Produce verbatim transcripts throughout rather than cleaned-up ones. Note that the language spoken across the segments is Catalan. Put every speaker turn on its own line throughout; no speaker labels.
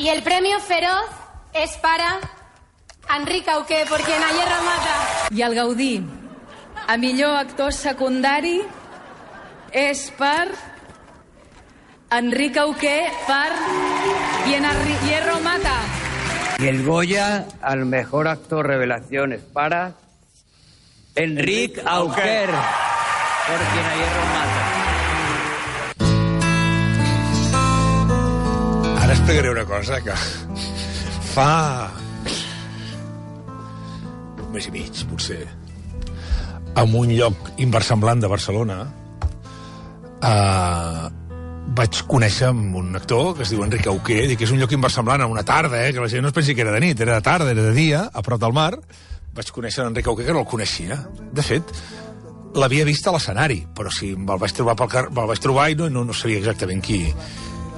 Y el premio Feroz es para Enric Auqué, por quien ayer remata.
I el Gaudí a millor actor secundari és per Enric Auqué per Hierro Mata.
Y el Goya al mejor actor revelación es para Enric Auquer, por quien a Hierro Mata.
Ara explicaré una cosa que fa un mes i mig, potser, en un lloc inversemblant de Barcelona, eh, vaig conèixer un actor que es diu Enric Auqué, dic que és un lloc inversemblant a una tarda, eh, que la gent no es pensi que era de nit, era de tarda, era de dia, a prop del mar. Vaig conèixer Enric Auqué, que no el coneixia. De fet, l'havia vist a l'escenari, però si me'l vaig trobar pel car... me'l vaig trobar i no, no, no sabia exactament qui,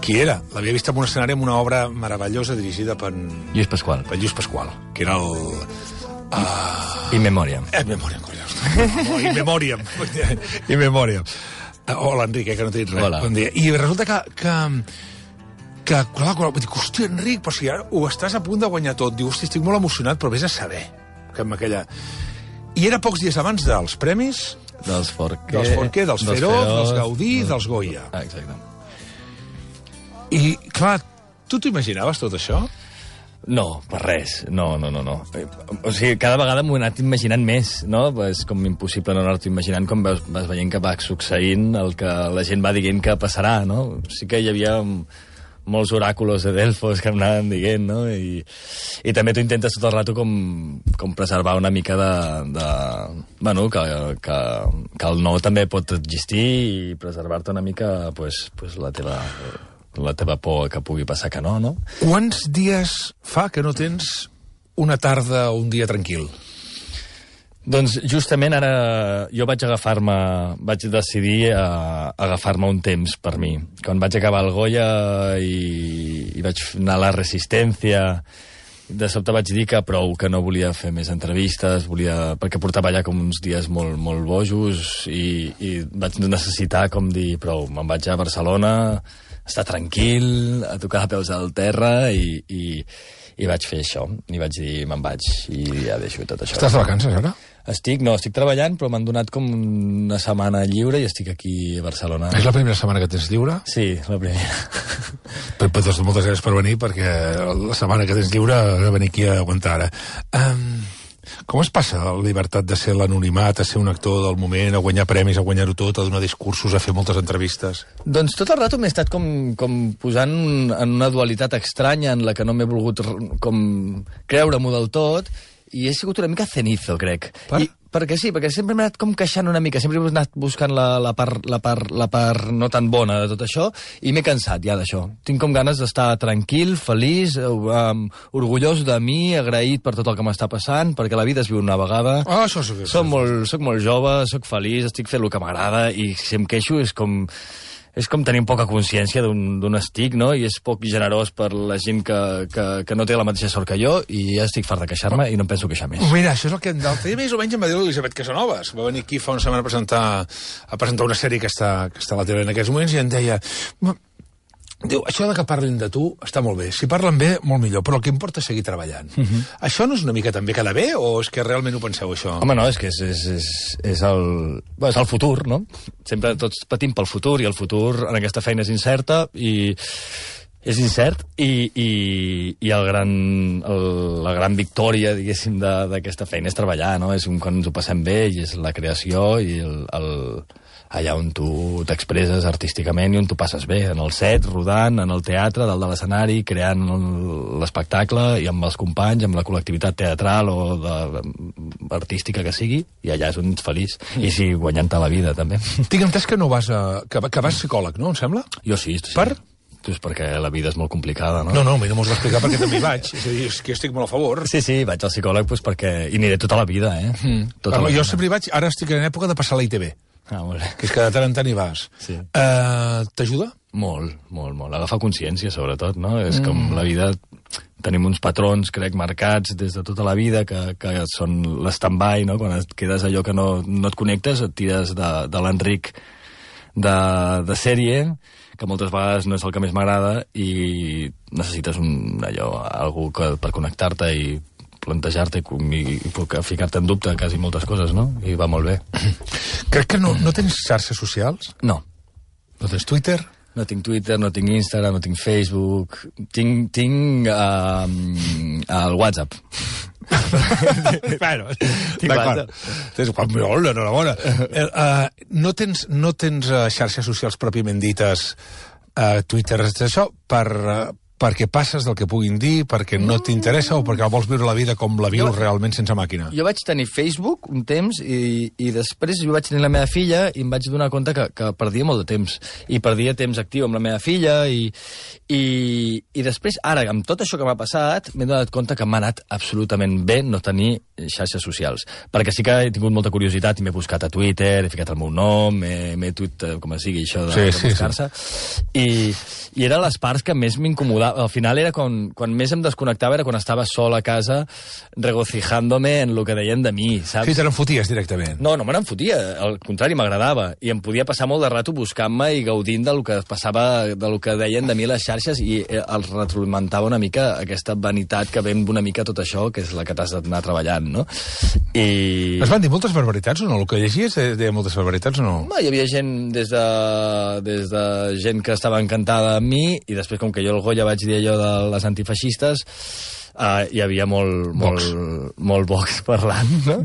qui era. L'havia vist en un escenari amb una obra meravellosa dirigida per
Lluís Pasqual.
Per Lluís Pasqual, que era el... Uh...
In Memoriam.
In Memoriam, collons. In Memoriam. In Memoriam. Hola, Enric, eh, que no t'he dit res.
Hola.
Bon dia. I resulta que... que que, clar, clar, dic, hòstia, Enric, però si ara ho estàs a punt de guanyar tot. Diu, hòstia, estic molt emocionat, però vés a saber. Que amb aquella... I era pocs dies abans dels premis...
Dels Forqué...
Dels Forqué, dels Feroz, dels Gaudí, dels Goya.
Ah, exacte.
I, clar, tu t'ho imaginaves, tot això?
No, per res. No, no, no, no. O sigui, cada vegada m'ho he anat imaginant més, no? És com impossible no anar-t'ho imaginant com vas, vas veient que va succeint el que la gent va dient que passarà, no? Sí que hi havia molts oràculos de Delfos que em anaven dient, no? I, i també tu intentes tot el rato com, com preservar una mica de... de bueno, que, que, que el no també pot existir i preservar-te una mica pues, pues, la teva... la teva por que pugui passar que no, no?
Quants dies fa que no tens una tarda o un dia tranquil?
Doncs justament ara jo vaig agafar-me, vaig decidir a, a agafar-me un temps per mi. Quan vaig acabar el Goya i, i vaig anar a la Resistència, de sobte vaig dir que prou, que no volia fer més entrevistes, volia, perquè portava allà com uns dies molt, molt bojos i, i vaig necessitar com dir prou, me'n vaig a Barcelona, estar tranquil, a tocar a peus al terra i, i, i vaig fer això. I vaig dir, me'n vaig i ja deixo tot això.
Estàs de vacances, ara?
Estic, no, estic treballant, però m'han donat com una setmana lliure i estic aquí a Barcelona.
És la primera setmana que tens lliure?
Sí, la primera.
Pep, doncs moltes gràcies per venir, perquè la setmana que tens lliure he venir aquí a aguantar ara. Um, com es passa la llibertat de ser l'anonimat, a ser un actor del moment, a guanyar premis, a guanyar-ho tot, a donar discursos, a fer moltes entrevistes?
Doncs tot el rato m'he estat com, com posant en una dualitat estranya en la que no m'he volgut com creure-m'ho del tot, i he sigut una mica cenizo, crec.
Per?
I, perquè sí, perquè sempre m'he anat com queixant una mica, sempre he anat buscant la, la, part, la, part, la part no tan bona de tot això, i m'he cansat ja d'això. Tinc com ganes d'estar tranquil, feliç, um, orgullós de mi, agraït per tot el que m'està passant, perquè la vida es viu una vegada.
Ah, això sí que
soc molt, soc molt jove, soc feliç, estic fent el que m'agrada, i si em queixo és com... és com tenir poca consciència d'un estic, no? I és poc generós per la gent que, que, que no té la mateixa sort que jo, i ja estic fart de queixar-me i no em penso queixar més.
Mira, això és el que l'altre dia més o menys em va dir l'Elisabet Casanovas. Va venir aquí fa una setmana a presentar, a presentar una sèrie que està, que està a la tele en aquests moments i em deia... Diu, això de que parlin de tu està molt bé. Si parlen bé, molt millor, però el que importa és seguir treballant. Uh -huh. Això no és una mica també quedar bé, o és que realment ho penseu, això?
Home, no, és que és, és, és, és, el, bueno, és el futur, no? Sempre tots patim pel futur, i el futur en aquesta feina és incerta, i és incert, i, i, i el gran, el, la gran victòria, diguéssim, d'aquesta feina és treballar, no? És un, quan ens ho passem bé, i és la creació, i el... el allà on tu t'expresses artísticament i on tu passes bé, en el set, rodant, en el teatre, dalt de l'escenari, creant l'espectacle, i amb els companys, amb la col·lectivitat teatral o de, artística que sigui, i allà és on ets feliç. Mm. I sí, guanyant-te la vida, també.
Tinc entès que no vas a... que, que vas psicòleg, no, em sembla?
Jo sí. sí.
Per?
Pues perquè la vida és molt complicada, no?
No, no, a mi no m'ho has d'explicar perquè també hi vaig. És a dir, és que estic molt a favor.
Sí, sí, vaig al psicòleg pues, perquè... i aniré tota la vida, eh? Mm. Tota
Però
la
jo
vida.
sempre hi vaig, ara estic en època de passar a la I T V.
Ah, molt bé.
Que és que de tant en tant hi vas.
Sí.
Uh, T'ajuda?
Molt, molt, molt. Agafar consciència, sobretot, no? És mm. com la vida... Tenim uns patrons, crec, marcats des de tota la vida, que, que són l'stand-by, no? Quan et quedes allò que no, no et connectes, et tires de, de l'Enric de, de sèrie, que moltes vegades no és el que més m'agrada i necessites un, allò, algú que, per connectar-te i plantejar-te i, i, i ficar-te en dubte quasi moltes coses, no? I va molt bé.
Crec que no, no tens xarxes socials?
No.
No tens Twitter?
No tinc Twitter, no tinc Instagram, no tinc Facebook... Tinc, tinc uh, el WhatsApp.
bueno, d'acord. Tens molt, enhorabona. Uh, uh, no tens, no tens uh, xarxes socials pròpiament dites, uh, Twitter, això, per... Uh, perquè passes del que puguin dir, perquè no t'interessa o perquè vols viure la vida com la vius realment sense màquina?
Jo vaig tenir Facebook un temps i, i després jo vaig tenir la meva filla i em vaig donar compte que, que perdia molt de temps. I perdia temps actiu amb la meva filla i, i, i després, ara, amb tot això que m'ha passat, m'he donat compte que m'ha anat absolutament bé no tenir xarxes socials. Perquè sí que he tingut molta curiositat i m'he buscat a Twitter, he ficat el meu nom, m'he tuit, com sigui, això de, sí, de buscar-se. Sí, sí. I, I era les parts que més m'incomodaven. Al final era quan, quan més em desconnectava era quan estava sol a casa regocijándome en lo que deien de mi, saps?
Sí, te n'enfoties directament.
No, no me n'enfotia, al contrari, m'agradava. I em podia passar molt de rato buscant-me i gaudint del que passava, del que deien de mi les xarxes i els retroalimentava una mica aquesta vanitat que ven una mica tot això, que és la que t'has d'anar treballant, no? I...
Es van dir moltes barbaritats o no? El que llegies deia moltes barbaritats o no?
No, hi havia gent des de, des de gent que estava encantada amb mi i després, com que jo el Goya vaig dir allò de les antifeixistes, uh, hi havia molt, molt, molt Vox parlant, no?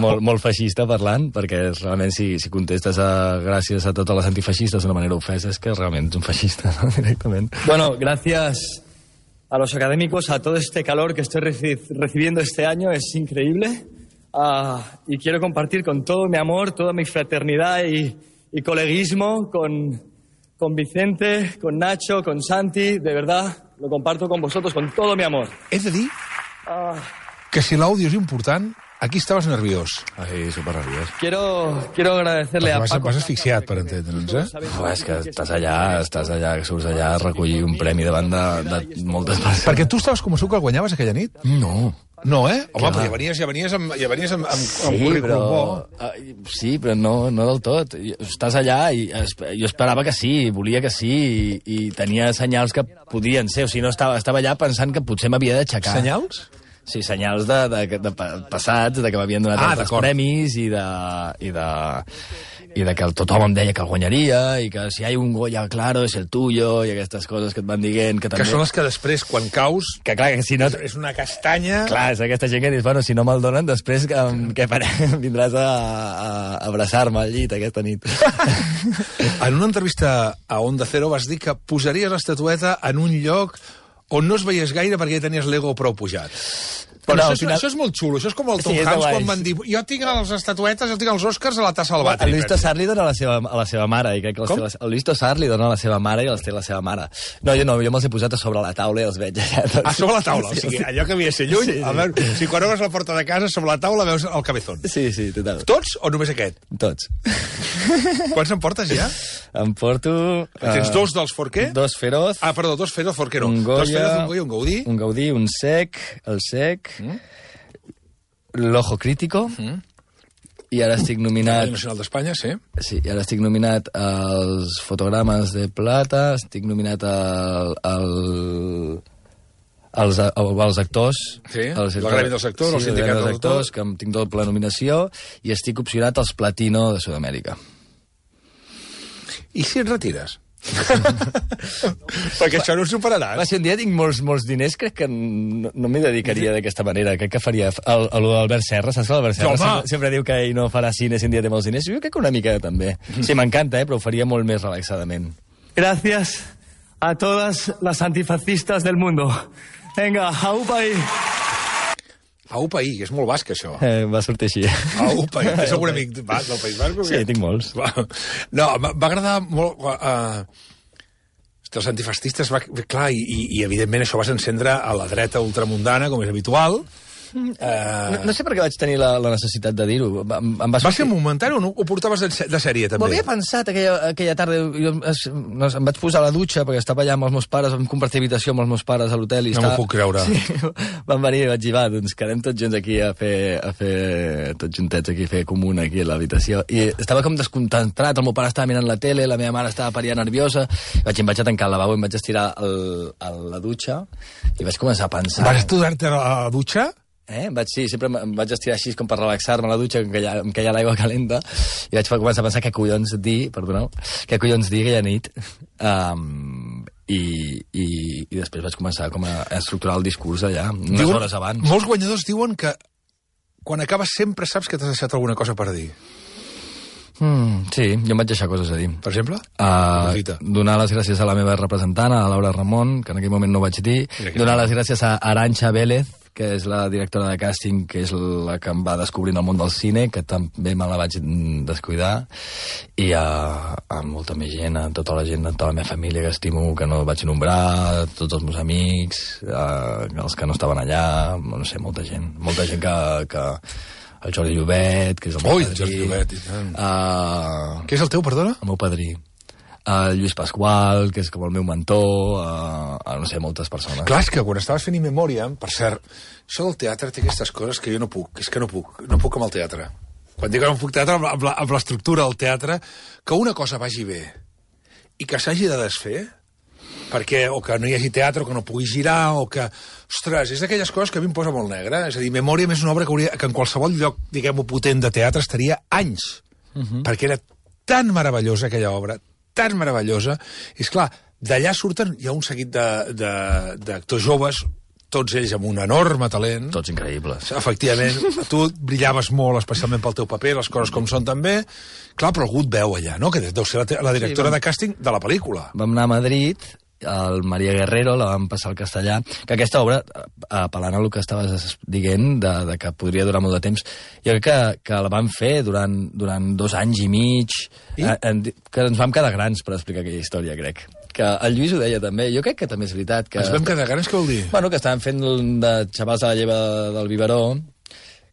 molt, molt feixista parlant, perquè realment si, si contestes a, gràcies a totes les antifeixistes d'una manera ofesa, és que realment ets un feixista, ¿no? Directament. Bueno, gracias a los académicos, a todo este calor que estoy reci recibiendo este año, es increíble. Uh, y quiero compartir con todo mi amor, toda mi fraternidad y, y coleguismo con... con Vicente, con Nacho, con Santi, de verdad, lo comparto con vosotros con todo mi amor.
He de dir ah. que si l'àudio és important, aquí estaves nerviós.
Ai, super nerviós. Quiero, quiero agradecerle a
vas,
Paco...
Vas asfixiat, per entendre'ns, eh?
Oh, és que estàs allà, estàs allà, que surts allà a recollir un premi davant de, de moltes persones.
Perquè tu estaves convençut que el guanyaves aquella nit?
No.
No, eh? Home, però ja venies, ja venies amb, ja venies amb, amb,
sí,
amb currículum
però,
bo.
Uh, sí, però no, no del tot. Estàs allà i jo esperava que sí, volia que sí, i, i tenia senyals que podien ser. O sigui, no estava, estava allà pensant que potser m'havia d'aixecar.
Senyals?
Sí, senyals de, de, de, de passats, de que m'havien donat
ah,
altres premis i de... I de i de que tothom em deia que el guanyaria i que si hi ha un Goya claro és el tuyo i aquestes coses que et van dient que, també...
que són les que després, quan caus,
que clar, que si no...
és una castanya...
Clar, és aquesta gent que dius, bueno, si no me'l donen després que, què farem? Vindràs a, a abraçar-me al llit aquesta nit.
En una entrevista a Onda Cero vas dir que posaries l'estatueta en un lloc on no es veies gaire perquè ja tenies l'ego prou pujat. Però no, això, final... això és molt xulo, això és com el Tom sí, Hanks quan van dir jo tinc les estatuetes, jo tinc els Oscars a la tassa al vàter.
El Luis Tosar li dona a la seva, a la seva mare. I crec que les, el Luis Tosar li dona a la seva mare i els té la seva mare. No, jo no, jo me'ls he posat a sobre la taula i els veig allà. Tots.
Ah, sobre la taula? Sí, o sigui, sí. Allò que havia de ser lluny, sí, sí. A veure, si quan obres la porta de casa, sobre la taula veus el cabezón.
Sí, sí, total.
Tots o només aquest?
Tots.
Quants en portes ja?
Em porto...
Tens uh, dos dels Forquer?
Dos Feroz.
Ah, perdó, dos Feroz, Forquer no.
Un Goya,
dos Feroz, un Goya, un Gaudí.
Un Gaudí, un Sec, el Sec... Mm? L'Ojo Crítico, mm. i ara estic nominat...
El Nacional d'Espanya, sí.
Sí, i ara estic nominat als Fotogrames de Plata, estic nominat al... al als, als actors...
Sí, el Gremi dels Actors, sí, el Sindicat dels Actors,
que em tinc doble nominació, i estic opcionat als Platino de Sud-amèrica.
I si et retires? Perquè això no ho superaràs.
Va, si un dia tinc molts, molts diners, crec que no, no m'hi dedicaria d'aquesta manera. Crec que faria el, el, l'Albert Serra, saps que l'Albert Serra sempre, sempre diu que ell no farà cine si un dia té molts diners? Jo crec que una mica també. Sí, m'encanta, eh, però ho faria molt més relaxadament. Gracias a todas las antifascistas del mundo. Venga, aupa ahí.
Aupa ahí, que és molt basc, això.
Eh, va sortir així.
Aupa ahí. Tens algun amic del País Basc?
Sí, tinc molts.
No, va agradar molt... Uh, els antifascistes, va, clar, i, i evidentment això vas encendre a la dreta ultramundana, com és habitual, Uh...
No, no sé per què vaig tenir la, la necessitat de dir-ho. Em, em
va, va ser momentari o no? Ho portaves de, de sèrie, també?
M'ho havia pensat aquella, aquella tarda. Jo es, no, em vaig posar a la dutxa perquè estava allà amb els meus pares, vam compartir habitació amb els meus pares a l'hotel.
No m'ho puc creure.
Sí, van venir i vaig dir, va, doncs quedem tots junts aquí a fer, a fer tots juntets aquí, a fer comuna aquí a l'habitació. I estava com desconcentrat, el meu pare estava mirant la tele, la meva mare estava paria nerviosa, i vaig, em vaig a tancar el lavabo i em vaig estirar el, a la dutxa i vaig començar a pensar...
Vas estudiar-te a la dutxa?
Eh? Vaig, sí, sempre em vaig estirar així com per relaxar-me a la dutxa, em queia, em queia l'aigua calenta, i vaig començar a pensar què collons dir, perdoneu, què collons dir aquella nit, um, i, i, i després vaig començar com a estructurar el discurs allà, unes
diuen,
hores abans.
Molts guanyadors diuen que quan acabes sempre saps que t'has deixat alguna cosa per dir.
Mm, sí, jo em vaig deixar coses a dir.
Per exemple?
Uh, donar les gràcies a la meva representant, a Laura Ramon, que en aquell moment no ho vaig dir. Donar les gràcies a Arantxa Vélez, que és la directora de càsting, que és la que em va descobrint el món del cine, que també me la vaig descuidar, i a, a molta més gent, a tota la gent, a tota la meva família que estimo, que no vaig nombrar, tots els meus amics, a, els que no estaven allà, no sé, molta gent, molta gent que... que el Jordi Llobet, que és el meu
Ui,
padrí.
el Jordi Llobet, i tant.
Uh,
Què és el teu, perdona?
El meu padrí. Uh, Lluís Pasqual, que és com el meu mentor, uh, uh, no sé, moltes persones.
Clar, és que quan estaves fent In Memoriam, per cert, això del teatre té aquestes coses que jo no puc, és que no puc, no puc amb el teatre. Quan dic que no puc teatre, amb la- amb l'estructura del teatre, que una cosa vagi bé i que s'hagi de desfer, perquè o que no hi hagi teatre, o que no pugui girar, o que... Ostres, és d'aquelles coses que a mi em posa molt negra. És a dir, Memòriam és una obra que, hauria, que en qualsevol lloc, diguem-ho, potent de teatre estaria anys, uh -huh. perquè era tan meravellosa aquella obra, tan meravellosa. I, esclar, d'allà surten, hi ha un seguit d'actors joves, tots ells amb un enorme talent.
Tots increïbles.
Efectivament, tu brillaves molt, especialment pel teu paper, les coses com són també. Clar, però algú et veu allà, no? Que deu ser la, te- la directora
Sí, vam-
de càsting de la pel·lícula.
Vam anar a Madrid, el Maria Guerrero la vam passar al castellà, que aquesta obra, apel·lant a el que estaves dient, de, de que podria durar molt de temps, jo crec que, que la vam fer durant, durant dos anys i mig,
I?
eh, en, que ens vam quedar grans per explicar aquella història, crec. Que el Lluís ho deia també, jo crec que també és veritat. Que,
Ens vam quedar grans, què vol dir?
Bueno, que estaven fent de xavals de la lleva del biberó,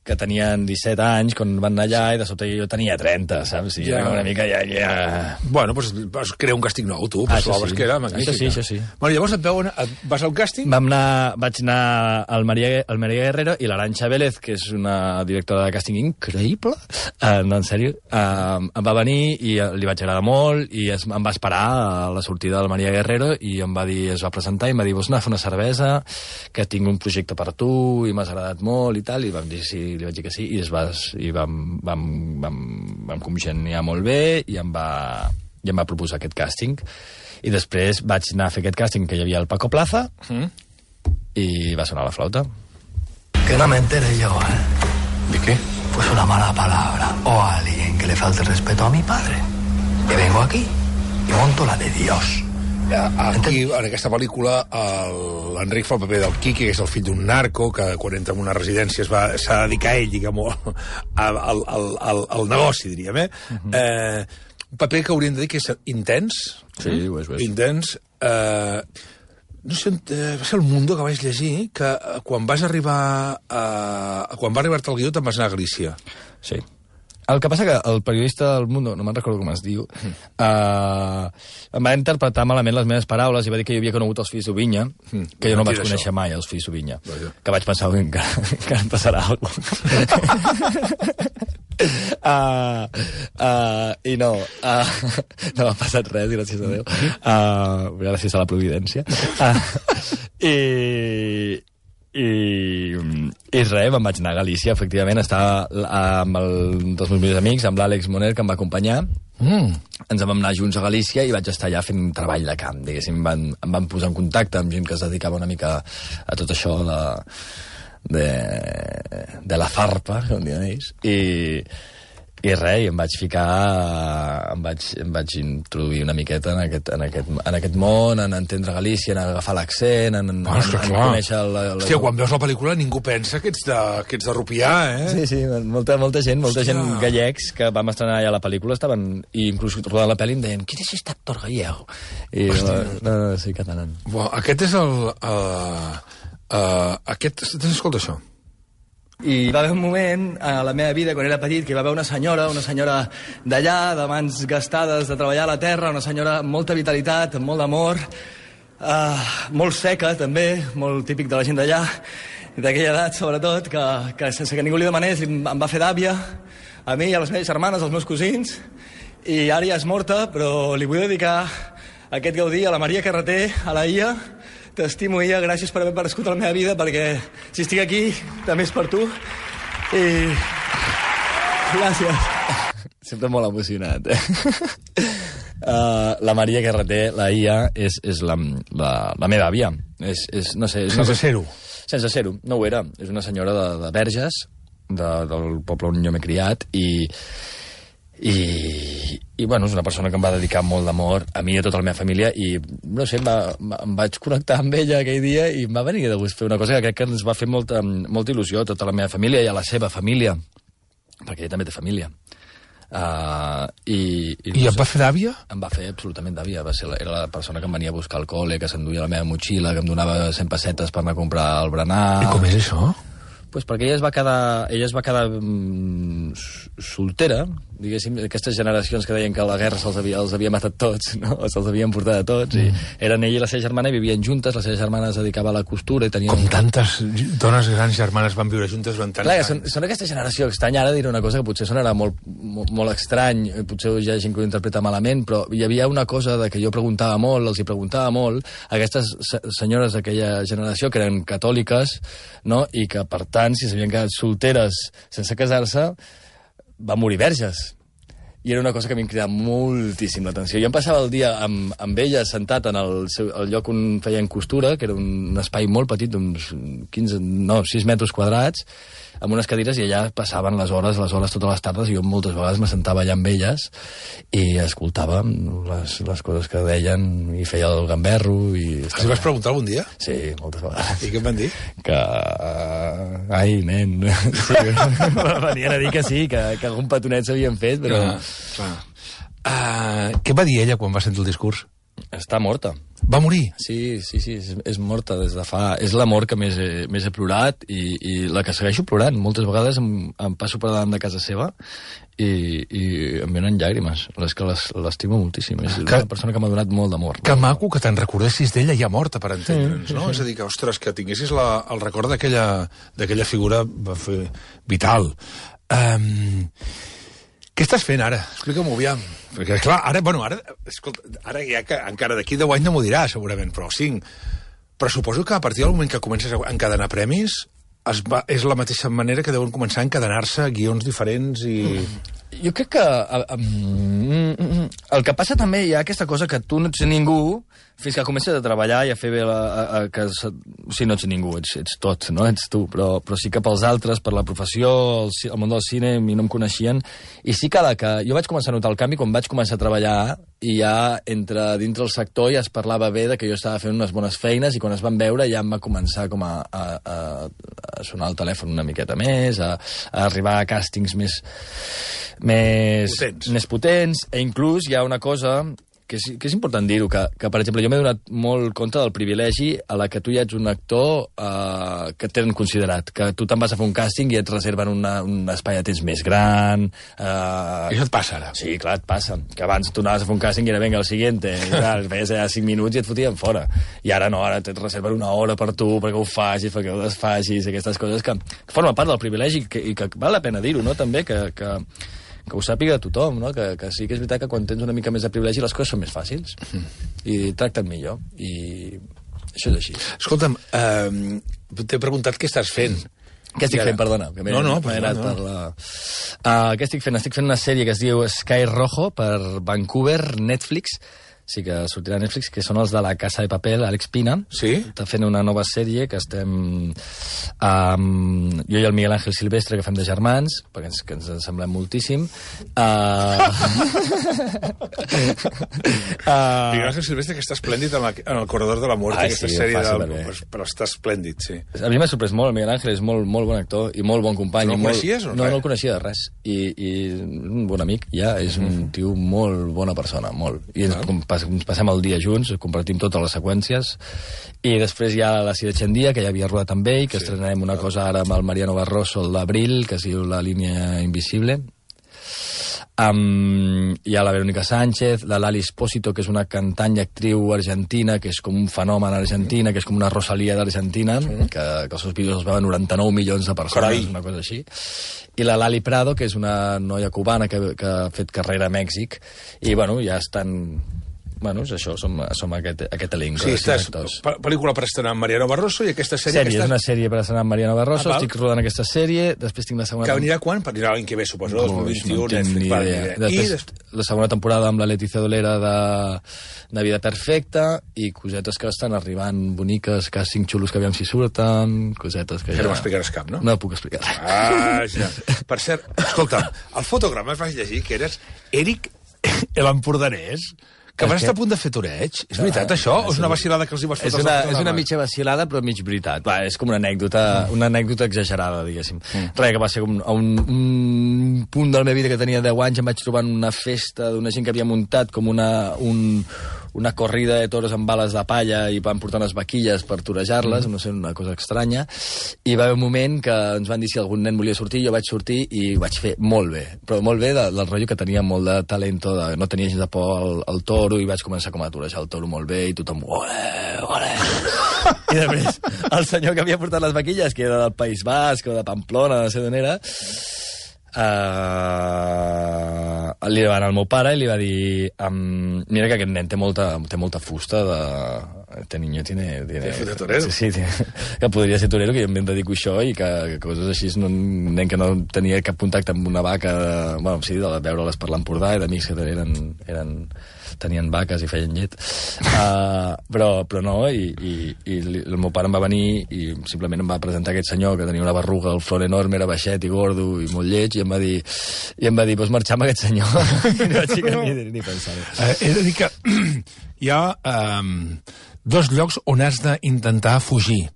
que tenien disset anys quan van anar allà, i de sobte jo tenia trenta, saps? I
Ja.
era una mica ja... ja...
Bueno, doncs vas crear un càsting nou, tu,
Ah,
pues
això
l'obra
sí.
es que era magnífica.
Això sí, això sí.
Bueno, llavors et veuen, et vas al càsting?
Vam anar, vaig anar al Maria, al Maria Guerrero i l'Arantxa Vélez, que és una directora de càsting increïble, uh, no, en sèrio, uh, em va venir i li vaig agradar molt i es, em va esperar a la sortida del Maria Guerrero i em va dir, es va presentar i em va dir, vols anar a fer una cervesa, que tinc un projecte per tu i m'has agradat molt i tal, i vam dir sí, li vaig dir que sí, i es va i vam, vam, vam, vam congeniar molt bé i em, va, i em va proposar aquest càsting. I després vaig anar a fer aquest càsting que hi havia el Paco Plaza mm. i va sonar la flauta.
Que no me entere yo, ¿eh?
¿De qué?
Pues una mala palabra o a alguien que le falte respeto a mi padre. Y vengo aquí y monto la de Dios.
Aquí, en aquesta pel·lícula, el- l'Enric fa el paper del Quique, que és el fill d'un narco, que quan entra en una residència es va- s'ha de dedicar ell, diguem-ho, al, al, al, al negoci, diríem, eh? Uh -huh. eh? Un paper que hauríem de dir que és intens.
Sí, ho és, ho és.
Intens. Eh, no sé, eh, va ser el Mundo que vaig llegir, que eh, quan vas arribar a, quan va arribar-te el guió te'n vas anar a Galícia.
Sí. El que passa que el periodista del Mundo, no me'n recordo com es diu, mm. uh, em va interpretar malament les meves paraules i va dir que jo havia conegut els fills d'Ovinya, mm. que jo no vaig conèixer mai, els fills d'Ovinya.
Vaja.
Que vaig pensar que encara, encara em passarà alguna cosa. uh, uh, I no, uh, no m'ha passat res, gràcies a Déu. Uh, gràcies a la providència. Uh, I... I, i res, me'n vaig anar a Galícia, efectivament, estava amb el, un dels meus millors amics, amb l'Àlex Moner, que em va acompanyar. Mm. Ens vam anar junts a Galícia i vaig estar allà fent treball de camp, diguéssim. Em van, em van posar en contacte amb gent que es dedicava una mica a tot això de, de, de la farpa, com diuen ells, i, i res, i em vaig ficar, em vaig, em vaig introduir una miqueta en aquest, en aquest, en aquest món, en entendre Galícia, en agafar l'accent, en, en,
Ah,
en, en conèixer... La, la...
Hòstia, quan veus la pel·lícula ningú pensa que ets de, que ets de Rupià, eh?
Sí, sí, molta, molta gent, molta
Hòstia.
gent gallecs que vam estrenar allà la pel·lícula estaven, i inclús rodant la pel·li em deien, qui és aquest actor gallego? I no, no, no, sí, catalán.
Bueno, aquest és el... Uh, uh, aquest... Escolta això.
I va haver un moment a la meva vida, quan era petit, que hi va haver una senyora, una senyora d'allà, de mans gastades de treballar a la terra, una senyora amb molta vitalitat, amb molt d'amor, uh, molt seca, també, molt típic de la gent d'allà, d'aquella edat, sobretot, que, que sense que ningú li demanés em va fer d'àvia, a mi, a les meves germanes, als meus cosins, i ara ja és morta, però li vull dedicar aquest Gaudí a la Maria Carreter, a la Ia. T'estimo, Ia, gràcies per haver aparegut a la meva vida, perquè si estic aquí també és per tu. I... gràcies.
Sempre molt emocionat, eh? Uh, la Maria Carreter, la Ia, és, és la, la, la meva àvia. És, és, no sé, és
Sense
una...
ser-ho.
Sense ser-ho, no ho era. És una senyora de, de Verges, de, del poble on jo m'he criat, i... I, i bueno, és una persona que em va dedicar molt d'amor a mi i a tota la meva família, i no sé, em, va, em vaig connectar amb ella aquell dia i em va venir de gust fer una cosa que crec que ens va fer molta, molta il·lusió a tota la meva família i a la seva família, perquè ella també té família. Uh, i, i,
I no et va fer d'àvia?
Em va fer absolutament d'àvia. Va ser la, era la persona que em venia a buscar al col·le, que s'enduia la meva motxilla, que em donava cent pessetes per anar a comprar el berenar.
I com és això?
Pues perquè ella es va quedar, ella es va quedar mm, soltera, diguéssim, aquestes generacions que deien que la guerra se'ls havia, els havia matat tots, no? Se'ls havien portat a tots, mm. i eren ella i la seva germana i vivien juntes, la seva germana es dedicava a la costura i tenien...
Com tantes dones grans germanes van viure juntes durant tants
Clar,
anys.
Són, són aquesta generació estranya. Ara diré una cosa que potser sonarà molt, molt, molt estrany, potser hi ha gent que ho interpreta malament, però hi havia una cosa de que jo preguntava molt, els hi preguntava molt, a aquestes senyores d'aquella generació que eren catòliques, no? I que, per tant, si s'havien quedat solteres sense casar-se, van morir verges. I era una cosa que m'hi cridava moltíssim l'atenció. Jo em passava el dia amb, amb ella sentat en el, seu, el lloc on feien costura, que era un espai molt petit, d'uns quinze, no, sis metres quadrats, amb unes cadires, i allà passaven les hores, les hores totes les tardes, i jo moltes vegades me sentava allà amb elles i escoltava les, les coses que deien i feia el gamberro. I
els hi vas preguntar algun dia?
Sí, moltes vegades.
I què em van dir?
Que... Uh, ai, nen... Sí, venien a dir que sí, que, que algun petonet s'havien fet, però...
Ah, clar. Uh, què va dir ella quan va sentir el discurs?
Està morta.
Va morir?
Sí, sí, sí, és, és morta des de fa... És l'amor que més he, més he plorat i, i la que segueixo plorant. Moltes vegades em, em passo per davant de casa seva i, i em venen llàgrimes. És que l'estimo moltíssim. És que, una persona que m'ha donat molt d'amor.
Que maco que te'n recordessis d'ella ja morta, per entendre'ns, no? Sí. És a dir, que, ostres, que tinguessis la, el record d'aquella figura va fer vital. Um, què estàs fent ara? Explica-m'ho aviam. Perquè, clar, ara, bueno, ara, escolta, ara ja que encara d'aquí deu anys no m'ho dirà, segurament, però cinc. Però suposo que a partir del moment que comences a encadenar premis, es va, és la mateixa manera que deuen començar a encadenar-se guions diferents i...
Jo crec que um, el que passa també hi ha aquesta cosa que tu no ets ningú fins que comences a treballar i a fer bé la... A, a, que, o sigui, no ets ningú, ets, ets tot, no? Ets tu, però, però sí que pels altres, per la professió, el, el món del cine, a mi no em coneixien, i sí que, la que jo vaig començar a notar el canvi quan vaig començar a treballar i ja entre dintre el sector ja es parlava bé de que jo estava fent unes bones feines i quan es van veure ja em va començar com a, a, a, a sonar el telèfon una miqueta més, a, a arribar a càstings més... Més
potents.
més potents, e inclús hi ha una cosa que és, que és important dir-ho, que, que, per exemple, jo m'he donat molt compte del privilegi a la que tu ja ets un actor eh, que et tenen considerat, que tu te'n vas a fer un càsting i et reserven una, un espai de temps més gran... Eh...
I això et passa, ara?
Sí, clar, et passa. Que abans tu anaves a fer un càsting i era, venga, el siguiente, i tal, feies allà cinc minuts i et fotien fora. I ara no, ara et reserven una hora per tu, perquè ho facis, perquè ho desfacis, aquestes coses que, que formen part del privilegi i que, i que val la pena dir-ho, no?, també, que... que que ho sàpiga tothom, no? Que, que sí que és veritat que quan tens una mica més de privilegi les coses són més fàcils mm. i tracten millor, i això és així.
Escolta'm, eh, t'he preguntat què estàs fent.
Què estic fent, perdona? Que
no, no,
no,
no.
Per la... uh, què estic fent? Estic fent una sèrie que es diu Sky Rojo per Vancouver, Netflix. Sí que sortirà a Netflix, que són els de La Casa de Papel, Àlex Pina.
Sí?
Està fent una nova sèrie que estem... Um, jo i el Miguel Ángel Silvestre, que fem de germans, perquè ens, que ens semblem moltíssim. Uh...
uh... Miguel Ángel Silvestre, que està esplèndid en, la, en el Corredor de la Mort,
ah,
aquesta
sí,
sèrie,
de...
però, però està esplèndid, sí.
A mi m'ha sorprès molt, el Miguel Ángel és molt, molt bon actor i molt bon company.
No el
molt...
coneixies o
no? No, no el coneixia de res. I, i un bon amic, ja, és un tio molt bona persona, molt. I ens, ah. ens passem el dia junts, compartim totes les seqüències, i després hi ha La Sirechendia, que ja havia rodat amb ell, que sí, estrenarem una cosa ara amb el Mariano Barroso el d'abril, que es diu La línia invisible. Um, hi ha la Verónica Sánchez, la Lali Espósito, que és una cantant i actriu argentina, que és com un fenomen a Argentina, que és com una Rosalía d'Argentina, sí, que, que els seus vídeos els veuen noranta-nou milions de persones, Carai. Una cosa així. I la Lali Prado, que és una noia cubana que, que ha fet carrera a Mèxic, i bueno, ja estan... Bueno, és això, som, som aquest, aquest elenc.
Sí, estàs, pel·lícula per estrenar amb Mariano Barroso i aquesta sèrie...
Sèrie,
aquesta...
és una sèrie per estrenar amb Mariano Barroso, ah, estic rodant aquesta sèrie, després tinc la segona...
Que anirà quan? Per anirà l'any que ve, suposo, dos mil vint-i-u,
no Netflix,
va,
després, I la segona temporada amb la Leticia Dolera de, de Vida Perfecta, i cosetes que estan arribant boniques, càsting xulos que aviam si surten, cosetes que ja...
Que no m'explicaràs cap, no?
No puc explicar.
Ah, ja. Per cert, escolta'm, al fotograma es vas llegir que eres Eric l'Empordanès, que vas estar a punt de fer toreig. És veritat, això? O és una vacilada que els hi vas fotre?
És una, és una mitja vacilada, però mig veritat. Va, és com una anècdota, una anècdota exagerada, diguéssim. Mm. Res, que va ser un, un, un punt de la meva vida que tenia deu anys, em vaig trobar en una festa d'una gent que havia muntat com una, un, una corrida de toros amb bales de palla i van portar unes vaquilles per torejar-les, mm. no sé, una cosa estranya. I va haver un moment que ens van dir si algun nen volia sortir, jo vaig sortir i ho vaig fer molt bé. Però molt bé del, del rotllo que tenia molt de talento, de, no tenia gens de por al, al toro, i vaig començar com a torejar el toro molt bé i tothom, ole, ole. I després el senyor que havia portat les vaquilles, que era del País Basc o de Pamplona, no sé d'on era, uh, li va anar al meu pare i li va dir um, mira que aquest nen té molta, té molta fusta de... Este niño tiene... tiene
de torero.
Sí, sí, tiene, que podria ser torero, que jo em dedico a això i que, que coses així, no, un nen que no tenia cap contacte amb una vaca, de, bueno, sí, de veure-les per l'Empordà i d'amics que eren, eren, tenien vaques i feien llet. Uh, però, però no, i, i, i el meu pare em va venir i simplement em va presentar aquest senyor que tenia una berruga, el flor enorme, era baixet i gordo i molt lleig, i em va dir, i em va dir, vols marxar amb aquest senyor? I no vaig ni, ni pensar-ho.
Uh, he de dir que hi ha um, dos llocs on has d'intentar fugir.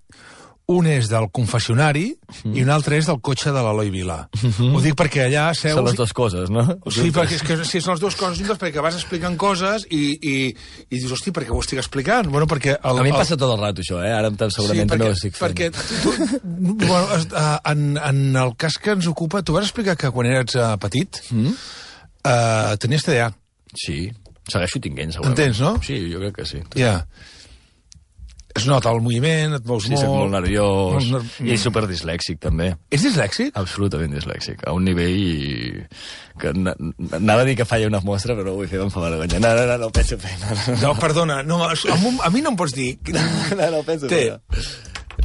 Un és del confessionari mm. i un altre és del cotxe de l'Eloi Vila. Mm -hmm. Ho dic perquè allà seus...
Són les dues coses, no?
Sí, perquè és que sí, són les dues coses juntes, perquè vas explicant coses i, i, i dius, hosti, per què ho estic explicant? Bueno, perquè el,
a mi em
el...
passa tot el rato, això, eh? Ara segurament sí, perquè, no ho estic fent.
Perquè tu, bueno, en, en el cas que ens ocupa, tu vas explicar que quan eres uh, petit mm. uh, tenies T D A.
Sí, segueixo tinguent, segurament.
Entens, no?
Sí, jo crec que sí.
Ja. Yeah. Es nota el moviment, et mous
sí,
molt...
Sí, molt nerviós, molt ner... i superdislèxic, també.
És dislèxic?
Absolutament dislèxic, a un nivell que anava a dir que falla una mostra, però ho vull fer amb fa vergonya. No, no, no, no ho penso fer. No, no,
no perdona, no, a, a mi no em pots dir...
No, no, no ho penso fer.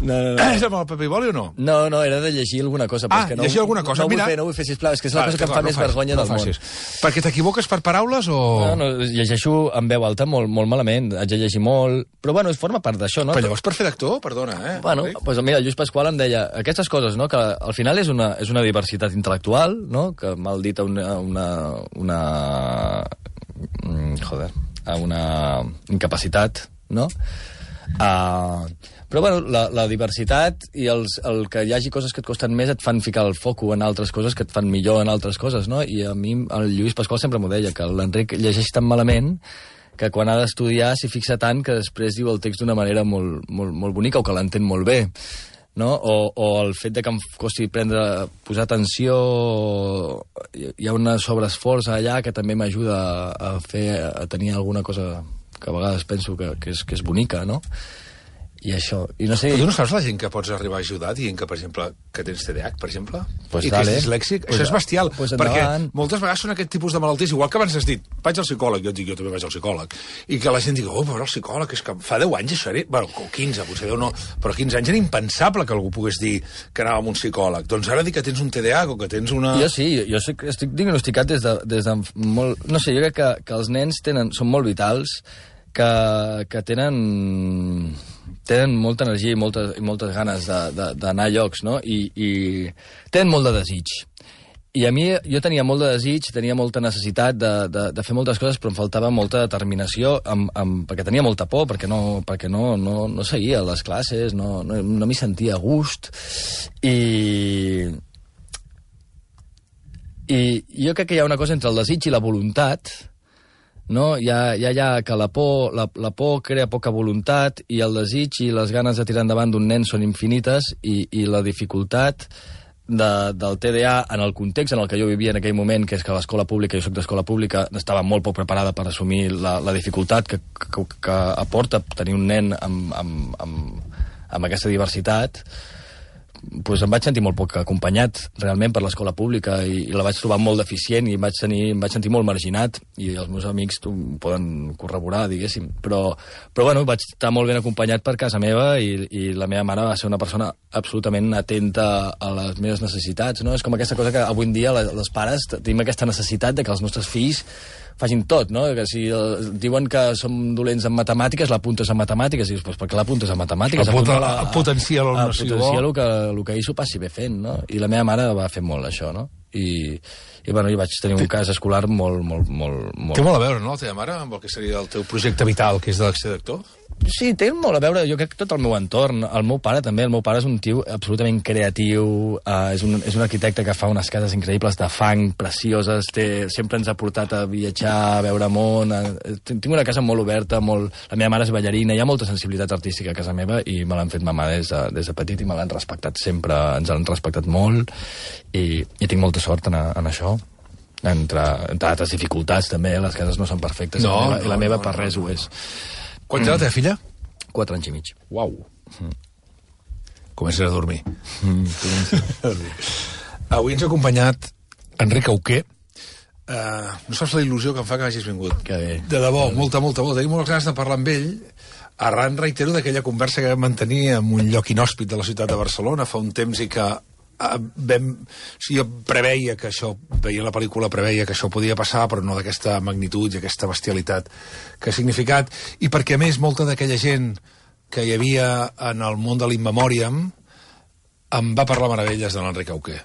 No, no, no.
És amb el Pepe i Boli o no?
No, no, era de llegir alguna cosa.
Ah,
que no,
llegir alguna cosa.
No,
Mira...
vull fer, no vull fer, sisplau, és que és la ah, cosa que em fa no més fas, vergonya no del facis. Món.
Perquè t'equivoques per paraules o...?
No, no, llegeixo en veu alta molt, molt malament, haig de llegir molt, però bueno, forma part d'això, no?
Però llavors per fer d'actor, perdona, eh?
Bueno, doncs pues mira, el Lluís Pasqual em deia aquestes coses, no?, que al final és una, és una diversitat intel·lectual, no?, que mal dit a una... una, una joder, a una incapacitat, no?, uh, però bueno, la, la diversitat i els, el que hi hagi coses que et costen més et fan ficar el foco en altres coses que et fan millor en altres coses, no? I a mi el Lluís Pasqual sempre m'ho deia, que l'Enric llegeix tan malament que quan ha d'estudiar s'hi fixa tant que després diu el text d'una manera molt, molt, molt bonica o que l'entén molt bé, no? O, o el fet de que em costi prendre, posar atenció, hi ha un sobreesforç allà que també m'ajuda a fer, a tenir alguna cosa que a vegades penso que, que, és, que és bonica, no? I això, i no sé...
Però tu no saps la gent que pots arribar a ajudar dient que, per exemple, que tens T D A H, per exemple?
Pues
I
dale.
que és dislèxic?
Pues
això és bestial,
pues
perquè
endavant.
moltes vegades són aquest tipus de malalties, igual que abans has dit, vaig al psicòleg, jo et dic, jo també vaig al psicòleg, i que la gent digui, oh, però el psicòleg, és que fa deu anys això era... Bueno, o quinze, potser deu no, però quinze anys era impensable que algú pogués dir que anava amb un psicòleg. Doncs ara dir que tens un T D A H o que tens una...
Jo sí, jo estic, estic diagnosticat des de, des de molt... No sé, jo crec que, que els nens tenen, són molt vitals, que, que tenen... tenen molta energia i moltes, i moltes ganes d'anar a llocs, no? I, i tenen molt de desig. I a mi, jo tenia molt de desig, tenia molta necessitat de, de, de fer moltes coses, però em faltava molta determinació, amb, amb, perquè tenia molta por, perquè no, perquè no, no, no seguia les classes, no, no, no m'hi sentia a gust. I... I jo crec que hi ha una cosa entre el desig i la voluntat no? Hi ha, hi ha, hi ha que la por, la, la por crea poca voluntat i el desig i les ganes de tirar endavant d'un nen són infinites i, i la dificultat de, del T D A en el context en el que jo vivia en aquell moment, que és que l'escola pública, jo soc d'escola pública, estava molt poc preparada per assumir la, la dificultat que, que, que aporta tenir un nen amb, amb, amb, amb aquesta diversitat, pues em vaig sentir molt poc acompanyat realment per l'escola pública i, i la vaig trobar molt deficient i em vaig, tenir, em vaig sentir molt marginat i els meus amics ho poden corroborar, diguéssim, però, però bueno, vaig estar molt ben acompanyat per casa meva i, i la meva mare va ser una persona absolutament atenta a les meves necessitats, no? És com aquesta cosa que avui en dia les, les pares tenim aquesta necessitat de que els nostres fills facin tot, no? Que si eh, diuen que som dolents en matemàtiques, l'apuntes en matemàtiques, i dius, pues, per què l'apuntes en matemàtiques?
Apunta, la, a potenciar l'alumnació.
A potenciar el que, el que ell s'ho passi bé fent, no? I la meva mare va fer molt això, no? I, i bueno, jo vaig tenir un cas escolar molt, molt, molt, molt...
Té molt a veure, no, la teva mare, amb el que seria el teu projecte vital, que és de l'acció d'actor?
Sí, té molt a veure, jo crec que tot el meu entorn. El meu pare també, el meu pare és un tio absolutament creatiu, uh, és, un, és un arquitecte que fa unes cases increïbles de fang, precioses, té, sempre ens ha portat a viatjar, a veure món, a, tinc una casa molt oberta, molt, la meva mare és ballarina, hi ha molta sensibilitat artística a casa meva i me l'han fet mamà des de, des de petit i me l'han respectat sempre, ens han respectat molt i, i tinc molta sort en, en això. Entre, entre altres dificultats també, les cases no són perfectes
no,
i la meva,
no,
i la meva
no,
per
no,
res
no.
ho és.
Quan té la teva filla?
Quatre anys i mig.
Uau. Mm. Comences a dormir.
Mm,
Avui ens ha acompanyat Enric Auqué. Uh, no saps la il·lusió que em fa que hagis vingut.
Que bé.
De debò, molta, molta, molta. Tinc moltes ganes de parlar amb ell. Arran, reitero, d'aquella conversa que vam mantenir en un lloc inhòspit de la ciutat de Barcelona fa un temps i que Uh, vam, o sigui, jo preveia que això, veient la pel·lícula preveia que això podia passar, però no d'aquesta magnitud i aquesta bestialitat que ha significat, i perquè a més molta d'aquella gent que hi havia en el món de l'Inmemòriam em va parlar meravelles de l'Enric Auqué,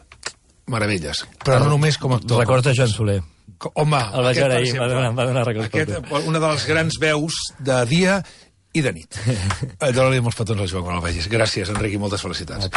meravelles, però no només com a actor.
Records de Joan Soler.
Home,
el vaig veure ahir, va donar, va donar records
aquest, una de les grans veus de dia i de nit. Dóna-li molts petons al Joan quan el vegis. Gràcies, Enric, i moltes felicitats.